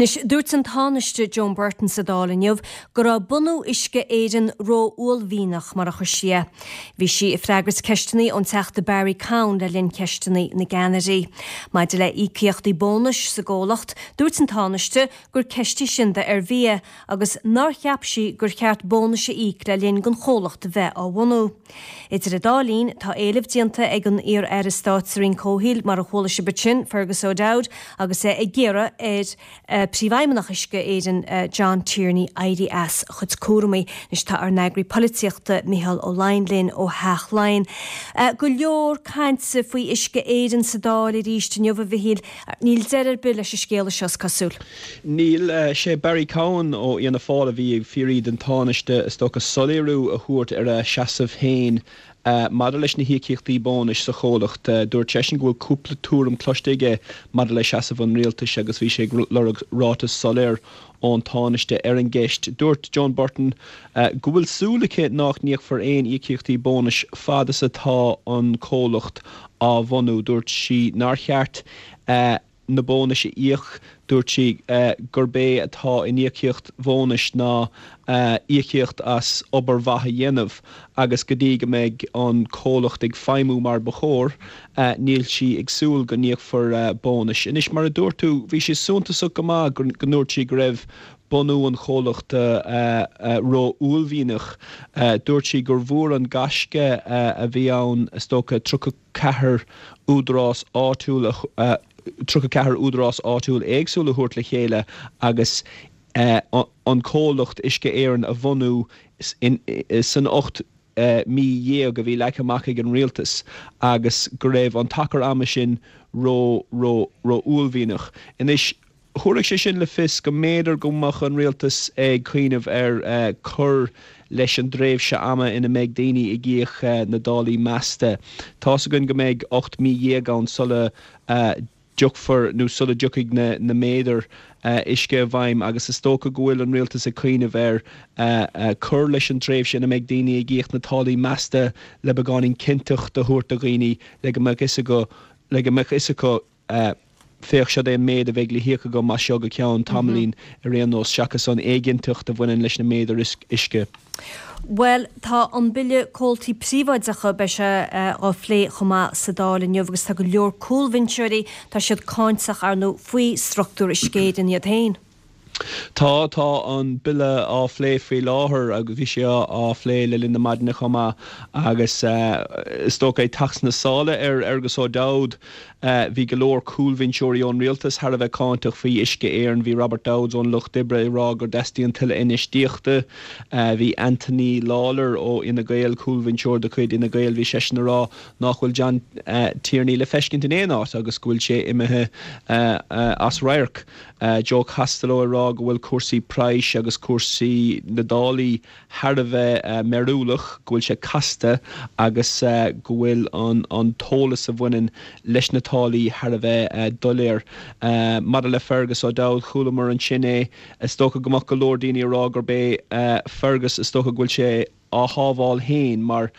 Anois, dúirt an Tánaiste Joan Burton sa Dáil inniu go raibh bunú Uisce Éireann ró-uaillmhianach, mar a chuir sí é. Bhí sí ag freagairt ceisteanna ón Teachta Barry Cowen le linn Cheisteanna na gCeannairí. Maidir le híocaíochtaí bónais sa gcomhlacht, dúirt an Tánaiste gur ceist í sin d'Ervia agus nár cheap sí gur cheart bónais a íoc le linn don chomhlacht a bheith á bhunú. Idir an dá linn, tá éileamh déanta ag an iar-aire stáit sa Roinn Comhshaoil, mar a chuala sibh ansin, Fergus O'Dowd, agus é ag iarraidh ar Phríomhfheidhmeannach Uisce Éireann, John Tierney, éirí as a chuid cúramaí. Anois tá ár n-eagraí polaitíochta, Micheál Ó Laighin linn ó Theach Laighean. Go leor cainte faoi Uisce Éireann sa Dáil arís inniu, a Mhichíl. Níl deireadh ar bith leis an scéala seo, is cosúil. Níl. Sé Barry Cowen ó Fhianna Fáil a bhí ag fiafraí den Tánaiste, is dócha, soiléiriú a thabhairt ar a seasamh féin maidir leis na híocaíochtaí bónais sa chomhlacht. Dúirt seisean go bhfuil cúpla tuairim cloiste aige maidir le seasamh an rialtais agus bhí sé ag lorg ráiteas soiléir ón Tánaiste ar an gceist. Dúirt Joan Burton go bhfuil súil aici nach n-íocfar aon íocaíochtaí bónais fad is atá an comhlacht á bhunú. Dúirt sí nár cheart na bónais a íoc. Dúirt sí gurb é atá in íocaíocht bhónais ná íocaíocht as obair mhaith a dhéanamh agus go dtí go mbeidh an comhlacht ag feidhmiú mar ba chóir, níl sí ag súil go n-íocfar bónais. Anois, mar a dúirt tú, bhí sé suntasach go maith go ndúirt sí go raibh bunú an chomhlachta ró-uaillmhianach. Dúirt sí gur mhór an gaisce a bhí ann, is dócha, 34 údarás áitiúil a 34 údarás áitiúil éagsúil a thabhairt le chéile agus an comhlacht Uisce Éireann a bhunú san 18 mí a bhí leagtha amach ag an rialtas agus go raibh an t-achar ama sin ró, ró, ró-uaillmhianach. Anois, thabharfadh sé sin le fios go mb'fhéidir go mbeadh an rialtas ag cuimhneamh ar cur leis an dtréimhse ama ina mbeidh daoine ag íoc na dtáillí measta. Tá's againn go mbeidh 18 mí ann sula dtiocfar nó sula dtiocfaidh na méadair uisce i bhfeidhm agus is dócha go bhfuil an rialtas ag cuimhneamh ar cur leis an tréimhse ina mbeidh daoine ag íoc na táillí measta le beagáinín cinnteacht a thabhairt do dhaoine le go mbeadh fhios acu le go mbeadh fhios acu féach, seod é an méid a bheidh le híoc agam as seo go ceann tamaillín ar aon nós, seachas an éiginnteacht a bhaineann leis na méadair uisce. Bhuel, tá an Bille Comhaltaí Príobháideacha, beidh sé á phlé chomh maith sa Dáil inniu agus tá go leor cúlbhinseoirí, tá siad cáinteach, ar ndóigh, faoi struchtúr Uisce Éireann iad féin. Tá, tá an Bille á phlé faoi láthair agus bhí sé á phlé le linn na maidine chomh maith agus is dócha ag teacht sna sála ar Fhergus O'Dowd, Bhí go leor cúlbhinseoirí ón rialtas thar a bheith cáinteach faoi Uisce Éireann. Bhí Robert Dowds ón Lucht Oibre ag rá gur dteastaíonn tuilleadh infheistíochta. Bhí Anthony Lawlor ó Fhine Gael, cúlbhinseoir de chuid Fhine Gael, bhí seisean ag rá nach bhfuil John Tierney le feiscint in aon áit agus go bhfuil sé imithe as radharc. Joe Costello ag rá go bhfuil cúrsaí praghais agus cúrsaí na dtáillí thar a bheith mearúlach, go bhfuil sé casta agus go bhfuil an t-eolas a bhaineann leis na táillí thar a bheith doiléir. Maidir le Fergus O'Dowd, chualamar ansin é. Is dócha go mbeadh go leor daoine ag rá gurb é Fergus, is dócha go bhfuil sé á shábháil féin mar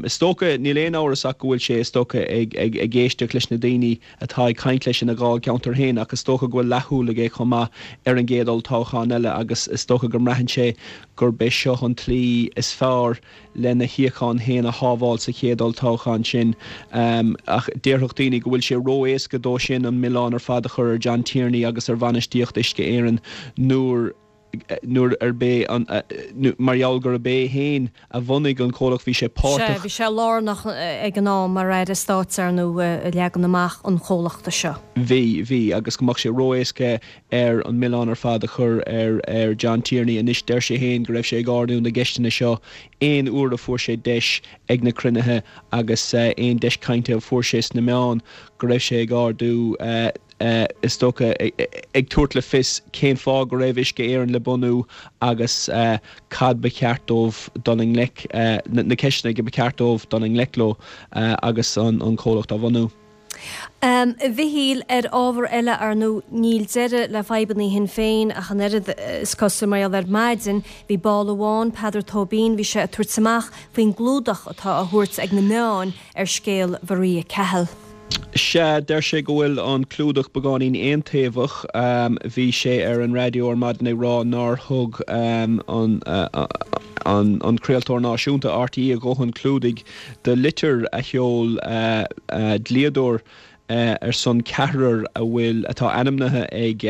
is dócha, níl aon amhras ach go bhfuil sé, is dócha, ag éisteacht leis na daoine atá ag caint leis ina dháilcheantar féin ach is dócha go bhfuil leathshúil aige chomh maith ar an gcéad olltoghchán eile agus is dócha go mbraitheann sé gurb é seo an tslí is fearr lena shuíochán féin a shábháil sa chéad olltoghchán sin. Ach déarfadh daoine go bhfuil sé ró-éasca dó sin an milleán ar fad a chur ar John Tierney agus ar bhainistíocht Uisce Éireann nuair nuair arb é an, mar gheall gurb é féin a bhunaigh an comhlacht, bhí sé páirteach. Sea, bhí sé lárnach ag an am mar Aire Stáit, ar ndóigh, i leagan amach an chomhlachta seo. Bhí, bhí, agus go mbeadh sé ró-éasca air an milleán ar fad a chur ar, ar John Tierney. Anois, deir sé féin go raibh sé ag ardú na gceisteanna seo aon uair a fuair sé deis ag na cruinnithe agus aon deis cainte a fuair sé sna meáin, go raibh sé ag ardú, is dócha, ag tabhairt le fios cén fáth go raibh Uisce Éireann le bunú agus cad ba cheart dóibh dul i ngleic, na ceisteanna go ba cheart dóibh dul i ngleic leo agus an comhlacht á bhunú. A Mhichíl, ar ábhar eile, ar ndóigh, níl deireadh le fadhbanna Shinn Féin ach an oiread, is cosúil, mar gheall ar maidin, bhí ball amháin, Peadar Tóibín, bhí sé ag tabhairt amach faoin gclúdach atá á thabhairt ag na meáin ar scéal Mharia Cahill. Sea, deir sé go bhfuil an clúdach beagáinín aontaobhach. Bhí sé ar an raidió ar maidin ag rá nár thug an an craoltóir náisiúnta, RTÉ, a dhóthain clúdaigh do litir a sheol dlíodóir ar son ceathrar a bhfuil, atá ainmnithe ag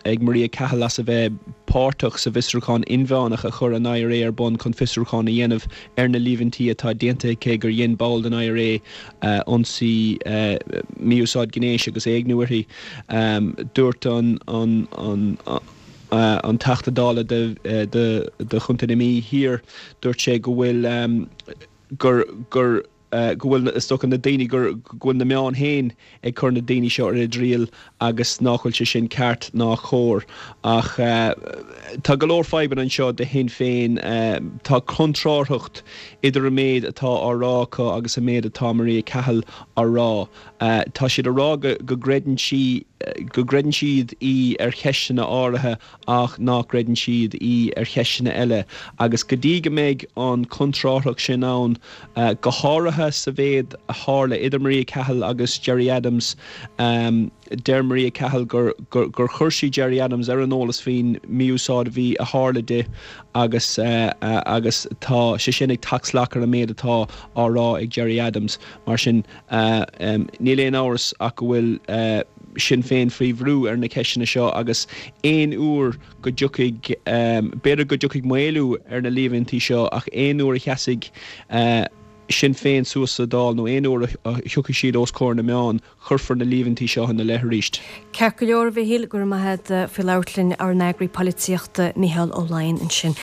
ag Maria Cahill as a bheith páirteach sa bhfiosrúchán inmheánach a chuir an IRA ar bun chun fiosrúchán a dhéanamh ar na líomhaintí atá déanta aici gur dhein ball den IRA ionsaí, mí-úsáid gnéis agus éigniú uirthi. Dúirt an an an Teachta Dála do do Chontae na Mí Thiar, dúirt sé go bhfuil gur gur go bhfuil, is dócha, na daoine, go bhfuil na meáin féin ag cur na daoine seo ar a dtriail agus nach bhfuil sé sin ceart ná cóir. Ach tá go leor fadhbanna anseo do Shinn Féin. Tá contrárthacht idir an méid atá á rá acu agus an méid atá Maria Cahill á rá. Tá siad ag rá go gcreideann sí, go gcreideann siad í ar cheisteanna áirithe ach nach gcreideann siad í ar cheisteanna eile, agus go dtí go mbeidh an chontrárthacht sin ann, go háirithe sa mhéid a tharla idir Maria Cahill agus Gerry Adams, deir Maria Cahill gur gur chuir sí Gerry Adams ar an eolas faoin mí-úsáid a bhí a tharla di agus agus tá sé sin ag teacht salach ar an méid atá á rá ag Gerry Adams. Mar sin, níl aon amhras ach go bhfuil. Sinn Féin faoi bhrú ar na ceisteanna seo agus aon uair go dtiocfaidh, b'fhéidir go dtiocfaidh maolú ar na líomhaintí seo ach aon uair a sheasfaidh Sinn Féin suas sa Dáil nó aon uair a thiocfaidh siad os comhair na meán, cuirfear na líomhaintí seo ina leith arís. Ceart go leor, a Mhichíl, go raibh maith agat faoi labhairt linn, ár n-eagraí polaitíochta Micheál Ó Laighin ansin.